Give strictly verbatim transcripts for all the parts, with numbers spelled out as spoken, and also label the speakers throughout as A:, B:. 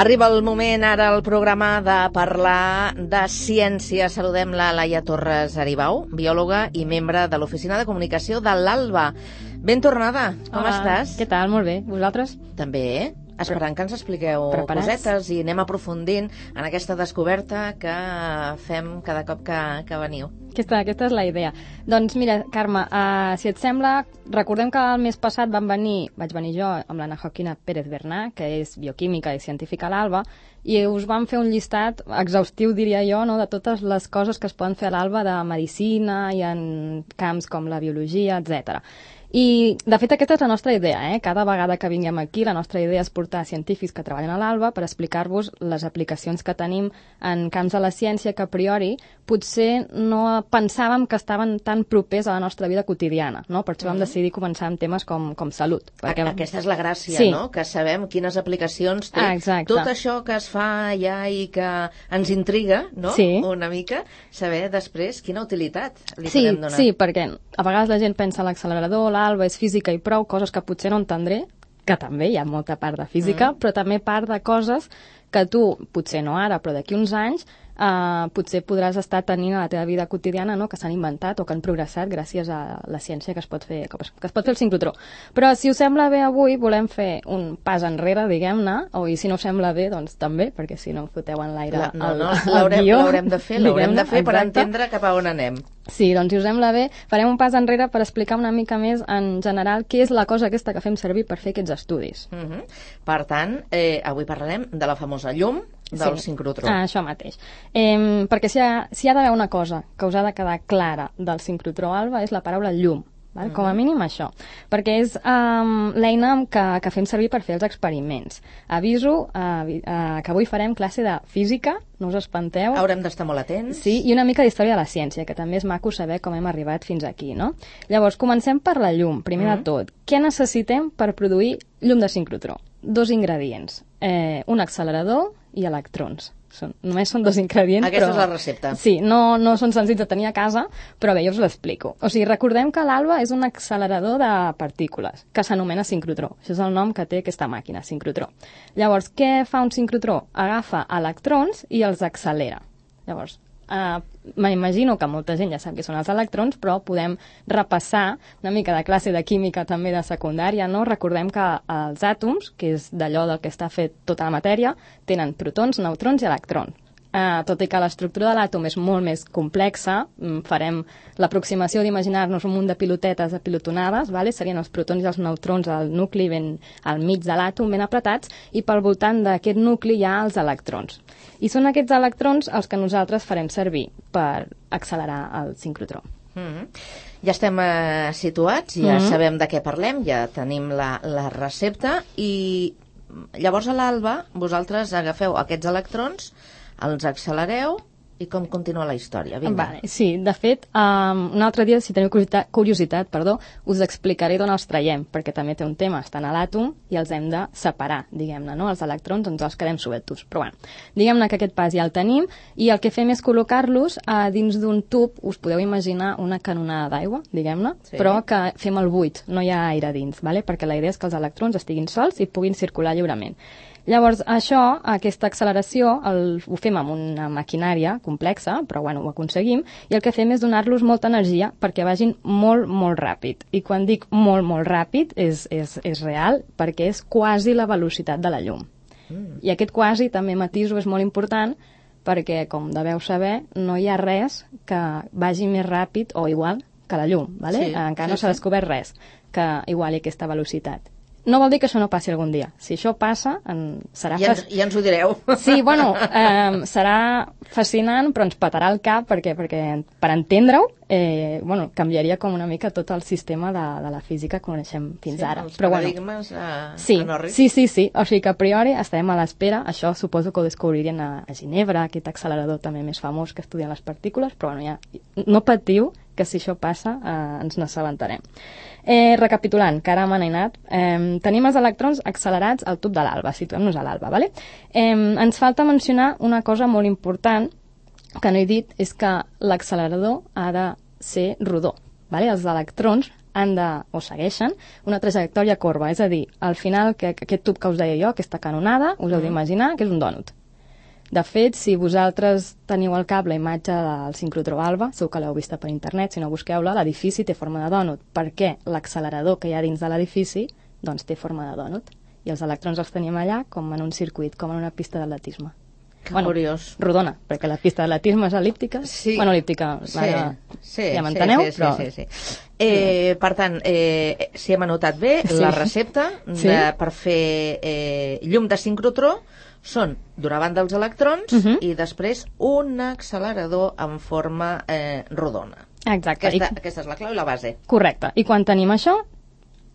A: Arriba el moment ara al programa de parlar de ciència. Saludem la Laia Torres Aribau, biòloga i membre de l'Oficina de Comunicació de l'Alba. Ben tornada, com
B: Hola,
A: estàs?
B: Què tal? Molt bé. Vosaltres?
A: També. Esperant que ens expliqueu
B: Preparats?
A: cosetes i anem aprofundint en aquesta descoberta que fem cada cop que, que veniu.
B: Aquesta, aquesta és la idea. Doncs mira, Carme, uh, si et sembla, recordem que el mes passat van venir, vaig venir jo amb l'Anna Joaquina Pérez Bernà, que és bioquímica i científica a l'Alba, i us van fer un llistat exhaustiu, diria jo, no?, de totes les coses que es poden fer a l'Alba de medicina i en camps com la biologia, etcètera. I, de fet, aquesta és la nostra idea, eh? Cada vegada que vinguem aquí, la nostra idea és portar científics que treballen a l'Alba per explicar-vos les aplicacions que tenim en camps de la ciència que, a priori, potser no pensàvem que estaven tan propers a la nostra vida quotidiana, no? Per això vam decidir començar amb temes com, com salut.
A: Perquè... Aquesta és la gràcia,
B: sí.
A: no?, que sabem quines aplicacions té.
B: Ah, exacte.
A: Tot això que es fa allà i que ens intriga, no?,
B: sí.
A: una mica, saber després quina utilitat li
B: sí,
A: podem donar.
B: Sí, perquè a vegades la gent pensa a l'accelerador, l'Alba és física i prou, coses que potser no entendré, que també hi ha molta part de física, mm. però també part de coses que tu, potser no ara, però d'aquí uns anys, Uh, potser podràs estar tenint a la teva vida quotidiana, no?, que s'han inventat o que han progressat gràcies a la ciència que es pot fer, que es pot fer el sincrotró. Però si us sembla bé avui, volem fer un pas enrere, diguem-ne, o i si no us sembla bé, doncs també, perquè si no foteu en l'aire el,
A: no, no,
B: el guió.
A: L'haurem de fer, l'haurem de fer per entendre cap a on anem.
B: Sí, doncs si us sembla bé, farem un pas enrere per explicar una mica més en general què és la cosa aquesta que fem servir per fer aquests estudis.
A: Uh -huh. Per tant, eh, avui parlarem de la famosa llum del
B: sí.
A: sincrotró.
B: Ah, això mateix. Eh, perquè si hi, ha, si hi ha d'haver una cosa que us ha de quedar clara del sincrotró Alba és la paraula llum. Val? Uh-huh. Com a mínim això, perquè és um, l'eina que, que fem servir per fer els experiments. Aviso uh, uh, que avui farem classe de física, no us espanteu.
A: Haurem d'estar molt atents.
B: Sí, i una mica d'història de la ciència, que també és maco saber com hem arribat fins aquí, no? Llavors, comencem per la llum, primer uh-huh. de tot. Què necessitem per produir llum de sincrotró? Dos ingredients, eh, un accelerador i electrons. Són, només són dos ingredients,
A: Aquesta
B: però...
A: és la recepta.
B: Sí, no, no són senzills de tenir a casa, però bé, jo us l'explico. O sigui, recordem que l'Alba és un accelerador de partícules, que s'anomena sincrotró. Això és el nom que té aquesta màquina, sincrotró. Llavors, què fa un sincrotró? Agafa electrons i els accelera. Llavors, Uh, m'imagino que molta gent ja sap què són els electrons, però podem repassar una mica de classe de química també de secundària, no? Recordem que els àtoms, que és d'allò del que està fet tota la matèria, tenen protons, neutrons i electrons. Uh, tot i que l'estructura de l'àtom és molt més complexa, farem l'aproximació d'imaginar-nos un munt de pilotetes apilotonades, vale? Serien els protons i els neutrons al nucli ben al mig de l'àtom, ben apretats, i pel voltant d'aquest nucli hi ha els electrons. I són aquests electrons els que nosaltres farem servir per accelerar el sincrotró.
A: Mm-hmm. Ja estem eh, situats, ja mm-hmm. sabem de què parlem, ja tenim la, la recepta, i llavors a l'Alba vosaltres agafeu aquests electrons, els accelereu, i com continua la història? Vinga.
B: Vale, sí, de fet, um, un altre dia, si teniu curiositat, curiositat perdó, us explicaré d'on els traiem, perquè també té un tema, estan a l'àtom i els hem de separar, diguem-ne, no? Els electrons ens els quedem sueltos. Però bueno, diguem-ne que aquest pas ja el tenim, i el que fem és col·locar-los uh, dins d'un tub, us podeu imaginar una canonada d'aigua, diguem-ne, sí. però que fem el buit, no hi ha aire dins, vale? Perquè la idea és que els electrons estiguin sols i puguin circular lliurement. Llavors, això, aquesta acceleració, el, ho fem amb una maquinària complexa, però bueno, ho aconseguim, i el que fem és donar-los molta energia perquè vagin molt, molt ràpid. I quan dic molt, molt ràpid, és, és, és real, perquè és quasi la velocitat de la llum. Mm. I aquest quasi, també matiso, és molt important, perquè, com deveu saber, no hi ha res que vagi més ràpid o igual que la llum, ¿vale?
A: Sí,
B: encara
A: sí,
B: no s'ha
A: sí.
B: descobert res que iguali aquesta velocitat. No vol dir que això no passi algun dia. Si això passa, en, serà...
A: Ja, ens, ja ens ho direu.
B: Sí, bueno, eh, serà fascinant, però ens petarà el cap, perquè, perquè per entendre-ho, eh, bueno, canviaria com una mica tot el sistema de, de la física que coneixem fins
A: sí,
B: ara.
A: Els
B: però,
A: paradigmes
B: bueno,
A: a,
B: sí,
A: a Norris.
B: Sí, sí, sí. O sigui que a priori estarem a l'espera. Això suposo que ho descobririen a, a Ginebra, aquest accelerador també més famós que estudia les partícules, però bueno, ja, no patiu, que si això passa eh, ens n'assabentarem. Eh, recapitulant, que ara m'han anat, eh, tenim els electrons accelerats al tub de l'Alba, situem-nos a l'Alba, ¿vale? Eh, ens falta mencionar una cosa molt important que no he dit, és que l'accelerador ha de ser rodó, ¿vale? Els electrons han de, o segueixen, una trajectòria corba, és a dir, al final, que, que aquest tub que us deia jo, aquesta canonada, us heu d'imaginar que és un dònut. De fet, si vosaltres teniu al cap la imatge del sincrotró Alba, segur que l'heu vista per internet, si no busqueu-la, l'edifici té forma de dònut, perquè l'accelerador que hi ha dins de l'edifici doncs té forma de dònut. I els electrons els tenim allà com en un circuit, com en una pista d'atletisme.
A: Que
B: bueno,
A: curiós.
B: Rodona, perquè la pista d'atletisme és el·líptica.
A: Sí.
B: Bueno, el·líptica,
A: Sí,
B: ara,
A: sí,
B: ja m'enteneu,
A: sí, sí,
B: però...
A: sí, sí, sí. Eh, per tant, eh, si hem anotat bé,
B: Sí.
A: la recepta de,
B: Sí.
A: per fer eh, llum de sincrotró són d'una banda els electrons
B: Mhm.
A: i després un accelerador en forma eh, rodona.
B: Exacte.
A: Aquesta,
B: I...
A: aquesta és la clau i la base.
B: Correcte. I quan tenim això,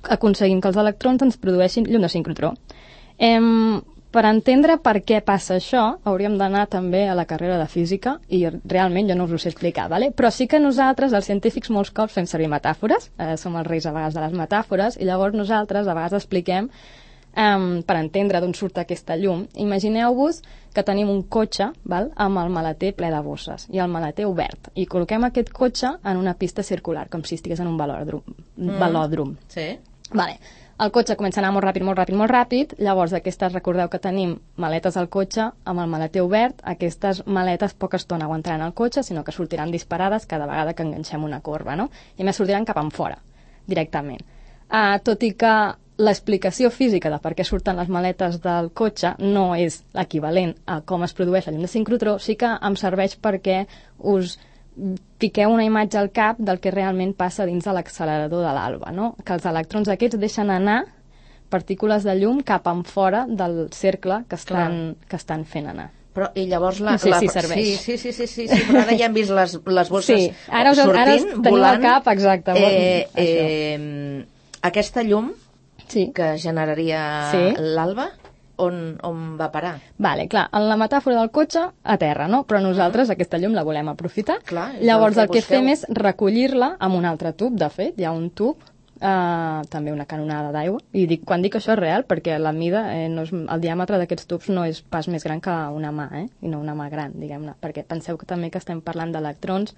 B: aconseguim que els electrons ens produeixin llum de sincrotró. Em, per entendre per què passa això, hauríem d'anar també a la carrera de física i realment jo no us ho sé explicar, ¿vale? Però sí que nosaltres, els científics, molts cops fem servir metàfores, eh, som els reis a vegades de les metàfores, i llavors nosaltres a vegades expliquem Um, per entendre d'on surt aquesta llum. Imagineu-vos que tenim un cotxe, val, amb el maleter ple de bosses i el maleter obert, i col·loquem aquest cotxe en una pista circular, com si estigués en un velòdrom. Mm. velòdrom.
A: Sí.
B: Vale. El cotxe comença a anar molt ràpid, molt ràpid, molt ràpid, llavors aquestes, recordeu que tenim maletes al cotxe amb el maleter obert, aquestes maletes poca estona aguantaran el cotxe, sinó que sortiran disparades cada vegada que enganxem una corba, no? I a més sortiran cap enfora, directament. Uh, tot i que l'explicació física de per què surten les maletes del cotxe no és l'equivalent a com es produeix la llum de sincrotró, sí que em serveix perquè us fiqueu una imatge al cap del que realment passa dins de l'accelerador de l'alba, no? Que els electrons aquests deixen anar partícules de llum cap enfora del cercle que estan, que estan fent anar.
A: Però, i llavors la...
B: No sé
A: la,
B: si serveix.
A: Sí, sí, sí, sí, sí, sí, però ara ja hem vist les, les bosses
B: Sí, ara us,
A: sortint,
B: ara us teniu
A: volant.
B: al cap, exacte.
A: Eh,
B: això.
A: eh, aquesta llum
B: Sí.
A: que generaria
B: Sí.
A: l'alba, on, on va parar?
B: Vale, clar, en la metàfora del cotxe, a terra, no? Però nosaltres aquesta llum la volem aprofitar.
A: Clar, és
B: Llavors
A: el
B: el
A: que
B: que fem
A: busqueu.
B: és recollir-la amb un altre tub, de fet, hi ha un tub, eh, també una canonada d'aigua, i dic, quan dic això és real, perquè la mida, eh, no és, el diàmetre d'aquests tubs no és pas més gran que una mà, eh? I no una mà gran, diguem-ne, perquè penseu que també que estem parlant d'electrons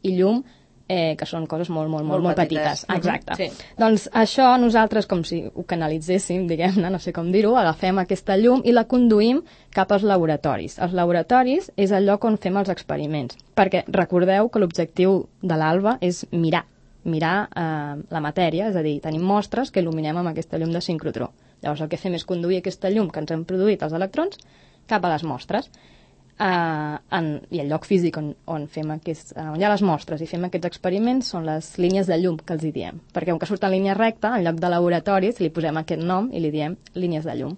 B: i llum, eh, que són coses molt, molt, molt, molt, molt petites.
A: petites.
B: Exacte.
A: Uh-huh. Sí.
B: Doncs això nosaltres, com si ho canalitzéssim, diguem-ne, no sé com dir-ho, agafem aquesta llum i la conduïm cap als laboratoris. Els laboratoris és el lloc on fem els experiments, perquè recordeu que l'objectiu de l'alba és mirar, mirar eh, la matèria, és a dir, tenim mostres que il·luminem amb aquesta llum de sincrotró. Llavors el que fem és conduir aquesta llum que ens han produït els electrons cap a les mostres. Uh, en, i el lloc físic on, on, fem aquest, uh, on hi ha les mostres i fem aquests experiments són les línies de llum que els hi diem, perquè com que surt en línia recta, en lloc de laboratoris li posem aquest nom i li diem línies de llum.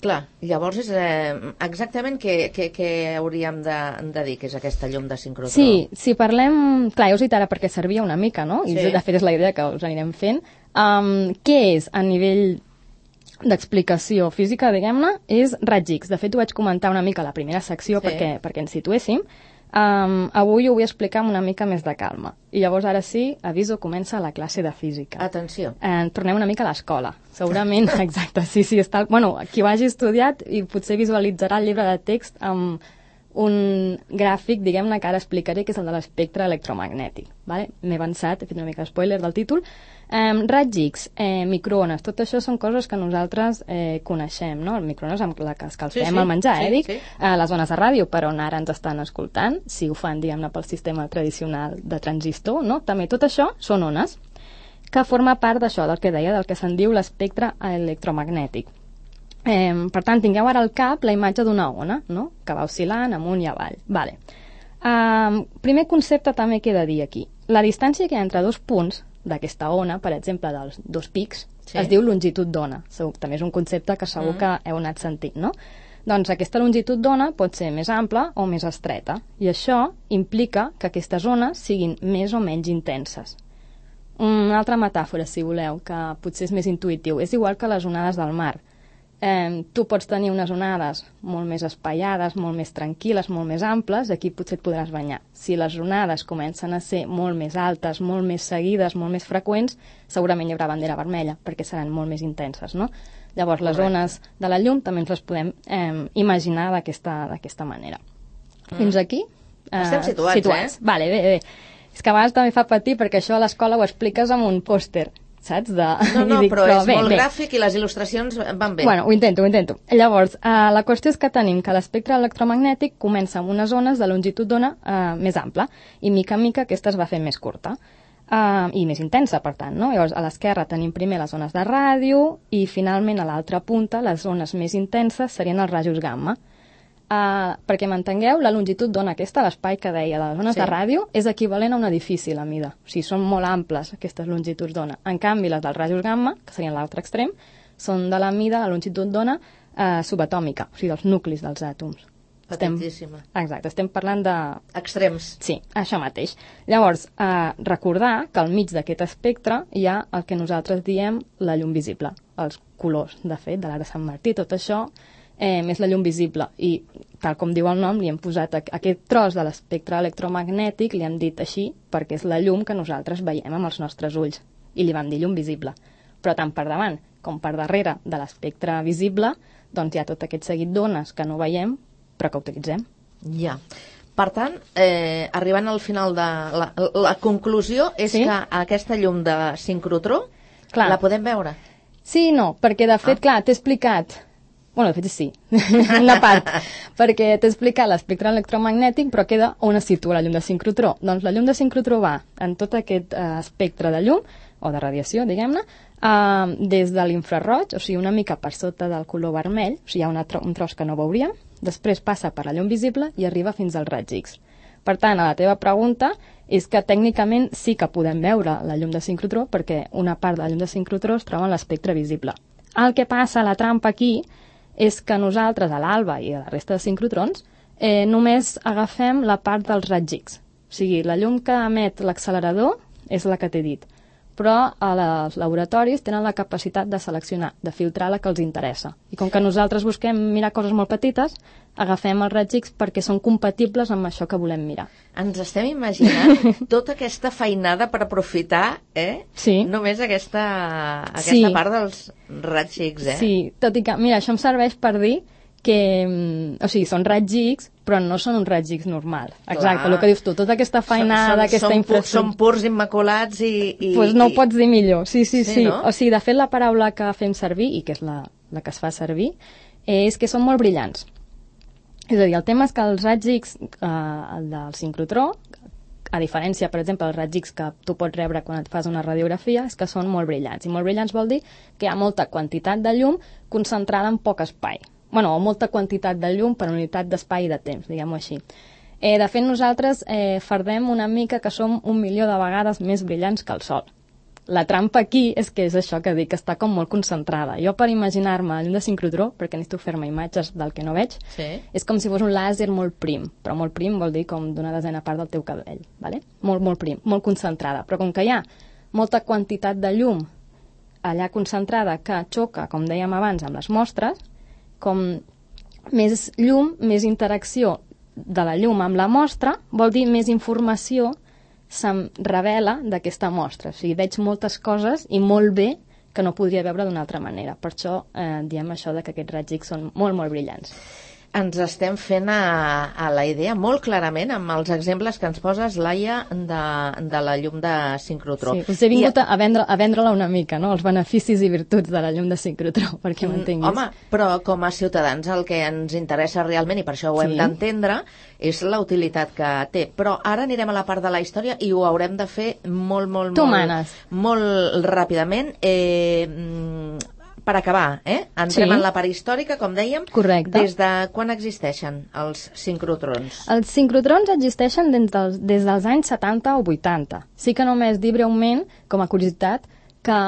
A: Clar, llavors és eh, exactament què, què, què hauríem de, de dir que és aquesta llum de sincrotró?
B: Sí, si parlem... Clar, ja us he dit ara perquè servia una mica, no? I
A: Sí.
B: de fet és la idea que us anirem fent. Um, què és a nivell d'explicació física, diguem-ne, és raig X. De fet, ho vaig comentar una mica a la primera secció
A: Sí.
B: perquè, perquè ens situéssim. Um, avui ho vull explicar amb una mica més de calma. I llavors, ara sí, aviso, comença la classe de física.
A: Atenció.
B: Eh, tornem una mica a l'escola. Segurament, exacte, sí, sí, està... Bueno, qui ho hagi estudiat i potser visualitzarà el llibre de text amb un gràfic, diguem-ne, que ara explicaré, que és el de l'espectre electromagnètic. Vale? M'he avançat, he fet una mica spoiler del títol. Eh, raig X, eh, microones, tot això són coses que nosaltres eh, coneixem, no? El microones amb la que escalfem
A: Sí, sí,
B: el menjar,
A: sí,
B: eh, dic?
A: sí.
B: Eh, les zones de ràdio, per on ara ens estan escoltant, si ho fan, diguem-ne, pel sistema tradicional de transistor, no? També tot això són ones, que forma part d'això, del que deia, del que se'n diu l'espectre electromagnètic. Eh, per tant, tingueu ara al cap la imatge d'una ona, no? Que va oscil·lant amunt i avall. Vale. Eh, primer concepte també que he de dir aquí. La distància que hi ha entre dos punts d'aquesta ona, per exemple, dels dos pics,
A: Sí.
B: es diu longitud d'ona. Segur- També és un concepte que segur
A: Mm.
B: que heu anat sentint, no? Doncs aquesta longitud d'ona pot ser més ampla o més estreta, i això implica que aquestes ones siguin més o menys intenses. Una altra metàfora, si voleu, que potser és més intuïtiu, és igual que les onades del mar. Eh, tu pots tenir unes onades molt més espaiades, molt més tranquil·les, molt més amples, aquí potser et podràs banyar. Si les onades comencen a ser molt més altes, molt més seguides, molt més freqüents, segurament hi haurà bandera vermella, perquè seran molt més intenses, no? Llavors, les
A: Correcte.
B: ones de la llum també ens les podem eh, imaginar d'aquesta d'aquesta manera.
A: Mm.
B: Fins aquí?
A: Estem situats,
B: situats.
A: eh?
B: Vale, bé, bé. És que a vegades també fa patir perquè això a l'escola ho expliques amb un pòster, saps? De...
A: No, no,
B: dic,
A: però, però és
B: bé,
A: molt
B: bé.
A: gràfic i les il·lustracions van bé.
B: Bueno, ho intento, ho intento. Llavors, eh, la qüestió és que tenim que l'espectre electromagnètic comença amb unes zones de longitud d'ona eh, més ampla i mica en mica aquesta es va fer més curta. Uh, i més intensa, per tant, no? Llavors, a l'esquerra tenim primer les zones de ràdio i, finalment, a l'altra punta, les zones més intenses serien els rajos gamma. Uh, perquè m'entengueu, la longitud d'ona aquesta, l'espai que deia de les zones sí. de ràdio, és equivalent a un edifici, la mida. O sigui, són molt amples, aquestes longituds d'ona. En canvi, les dels rajos gamma, que serien l'altre extrem, són de la mida, la longitud d'ona uh, subatòmica, o sigui, dels nuclis dels àtoms.
A: Petitíssima.
B: Estem, exacte, estem parlant de...
A: Extrems.
B: Sí, això mateix. Llavors, eh, recordar que al mig d'aquest espectre hi ha el que nosaltres diem la llum visible, els colors, de fet, de l'ara Sant Martí, tot això eh, més la llum visible. I, tal com diu el nom, li hem posat a, aquest tros de l'espectre electromagnètic, li hem dit així, perquè és la llum que nosaltres veiem amb els nostres ulls. I li vam dir llum visible. Però tant per davant com per darrere de l'espectre visible, doncs hi ha tot aquest seguit d'ones que no veiem, però que utilitzem.
A: Ja. Per tant, eh, arribant al final de... La, la conclusió és sí? que aquesta llum de sincrotró clar. La podem veure?
B: Sí i no, perquè de fet, ah. clar, t'he explicat... Bueno, de fet sí, una part, perquè t'he explicat l'espectre electromagnètic, però queda on es situa la llum de sincrotró. Doncs la llum de sincrotró va en tot aquest eh, espectre de llum, o de radiació, diguem-ne, eh, des de l'infraroig, o sigui, una mica per sota del color vermell, o sigui, hi ha una tro un tros que no veuríem, després passa per la llum visible i arriba fins als raigs X. Per tant, a la teva pregunta és que tècnicament sí que podem veure la llum de sincrotró perquè una part de la llum de sincrotró es troba en l'espectre visible. El que passa, la trampa aquí, és que nosaltres, a l'alba i a la resta de sincrotrons, eh, només agafem la part dels raigs X. O sigui, la llum que emet l'accelerador és la que t'he dit. Però els laboratoris tenen la capacitat de seleccionar, de filtrar la que els interessa. I com que nosaltres busquem mirar coses molt petites, agafem els raigs X perquè són compatibles amb això que volem mirar.
A: Ens estem imaginant tota aquesta feinada per aprofitar, eh?
B: Sí.
A: Només aquesta, aquesta
B: sí.
A: part dels raigs X, eh?
B: Sí, tot i que, mira, això em serveix per dir que, o sigui, són raigs X, però no són uns raigs X normals. Exacte, el que dius tu, tota aquesta feinada, són, aquesta infraestructura...
A: Són purs immaculats i...
B: Doncs pues no ho pots dir millor, sí, sí, sí. sí.
A: No?
B: O sigui, de fet, la paraula que fem servir, i que és la, la que es fa servir, és que són molt brillants. És a dir, el tema és que els raigs X, eh, el del sincrotró, a diferència, per exemple, dels raigs X que tu pots rebre quan et fas una radiografia, és que són molt brillants. I molt brillants vol dir que hi ha molta quantitat de llum concentrada en poc espai. Bueno, o molta quantitat de llum per unitat d'espai i de temps, diguem-ho així. Eh, de fet, nosaltres eh, fardem una mica que som un milió de vegades més brillants que el Sol. La trampa aquí és que és això que dic, que està com molt concentrada. Jo, per imaginar-me la llum de sincrotró, perquè necessito fer-me imatges del que no veig,
A: sí.
B: és com si fos un làser molt prim, però molt prim vol dir com d'una desena part del teu cabell, ¿vale? Molt, molt prim, molt concentrada. Però com que hi ha molta quantitat de llum allà concentrada que xoca, com dèiem abans, amb les mostres, com més llum, més interacció de la llum amb la mostra, vol dir més informació se'm revela d'aquesta mostra. O sigui, veig moltes coses i molt bé que no podria veure d'una altra manera. Per això eh, diem això de que aquests raigs X són molt, molt brillants.
A: Ens estem fent a, a la idea molt clarament amb els exemples que ens poses, Laia, de, de la llum de sincrotró.
B: Sí, us he vingut I, a, vendre, a vendre-la una mica, no? Els beneficis i virtuts de la llum de sincrotró, perquè m'entenguis.
A: Home, però com a ciutadans el que ens interessa realment, i per això ho hem sí. d'entendre, és la utilitat que té. Però ara anirem a la part de la història i ho haurem de fer molt, molt,
B: tu
A: molt,
B: manes.
A: molt ràpidament. Eh, per acabar, eh? Entrem
B: sí.
A: en la part històrica, com dèiem.
B: Correcte.
A: Des de quan existeixen els sincrotrons?
B: Els sincrotrons existeixen des dels, des dels anys setanta o vuitanta. Sí que només dir breument, com a curiositat, que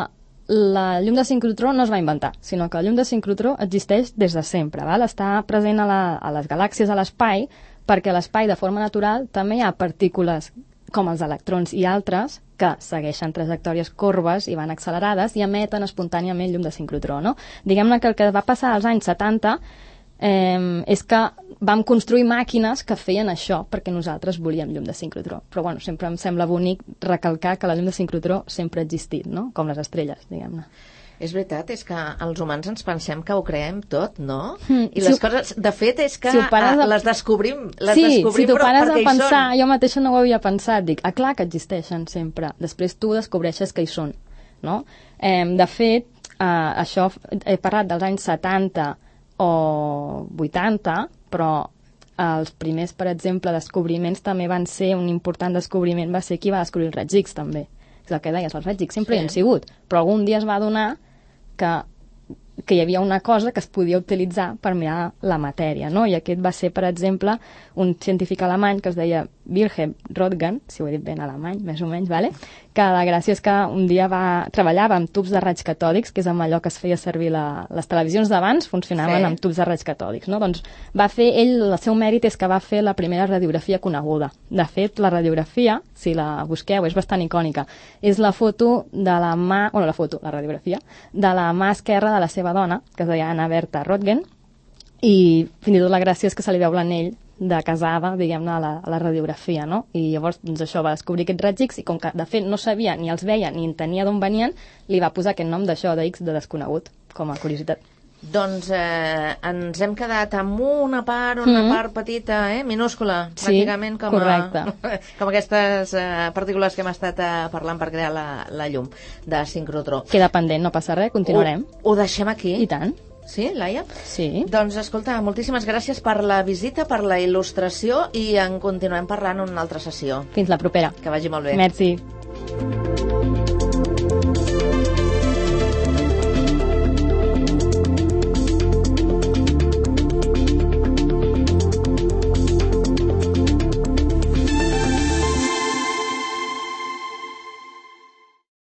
B: la llum de sincrotró no es va inventar, sinó que la llum de sincrotró existeix des de sempre. Val? Està present a, la, a les galàxies, a l'espai, perquè a l'espai, de forma natural, també hi ha partícules com els electrons i altres que segueixen trajectòries corbes i van accelerades i emeten espontàniament llum de sincrotró, no? Diguem-ne que el que va passar als anys setanta eh, és que vam construir màquines que feien això perquè nosaltres volíem llum de sincrotró. Però bueno, sempre em sembla bonic recalcar que la llum de sincrotró sempre ha existit, no? Com les estrelles, diguem-ne.
A: És veritat, és que els humans ens pensem que ho creem tot, no?
B: Mm,
A: I
B: si
A: les
B: ho,
A: coses, de fet, és que
B: si
A: a, les descobrim, les
B: sí,
A: descobrim
B: si t'ho
A: però
B: pares a
A: perquè
B: pensar,
A: hi són.
B: jo mateixa no ho havia pensat, dic, ah, clar que existeixen sempre. Després tu descobreixes que hi són, no? Eh, de fet, eh, això he parlat dels anys setanta o vuitanta, però els primers, per exemple, descobriments també van ser, un important descobriment va ser qui va descobrir els raigs X, també. És el que deies, els raigs X sempre sí. hi han sigut, però algun dia es va adonar que, que hi havia una cosa que es podia utilitzar per mirar la matèria, no? I aquest va ser, per exemple, un científic alemany que es deia Wilhelm Röntgen, si ho he dit ben alemany, més o menys, vale? Que la gràcia és que un dia va, treballava amb tubs de raigs catòdics, que és amb allò que es feia servir la, les televisions d'abans, funcionaven sí. amb tubs de raigs catòdics, no? Doncs va fer, ell, el seu mèrit és que va fer la primera radiografia coneguda. De fet, la radiografia, si la busqueu, és bastant icònica. És la foto de la mà, bueno, la foto, la radiografia, de la mà esquerra de la seva dona, que es deia Anna Bertha Röntgen, i fins i tot la gràcia és que se li veu l'anell de casada, diguem-ne, a, la, a la radiografia, no? I llavors, doncs això, va descobrir aquests raigs X i com que, de fet, no sabia ni els veia ni entenia d'on venien, li va posar aquest nom d'això, de X, de desconegut, com a curiositat.
A: Doncs eh, ens hem quedat amb una part, una mm-hmm. part petita, eh, minúscula,
B: sí,
A: pràcticament com,
B: correcte.
A: a, com aquestes eh, partícules que hem estat eh, parlant per crear la, la llum de sincrotró.
B: Queda pendent, no passa res, continuarem.
A: Ho, ho deixem aquí.
B: I tant.
A: Sí, Laia?
B: Sí.
A: Doncs escolta, moltíssimes gràcies per la visita, per la il·lustració i en continuem parlant en una altra sessió.
B: Fins la propera.
A: Que vagi molt bé.
B: Merci.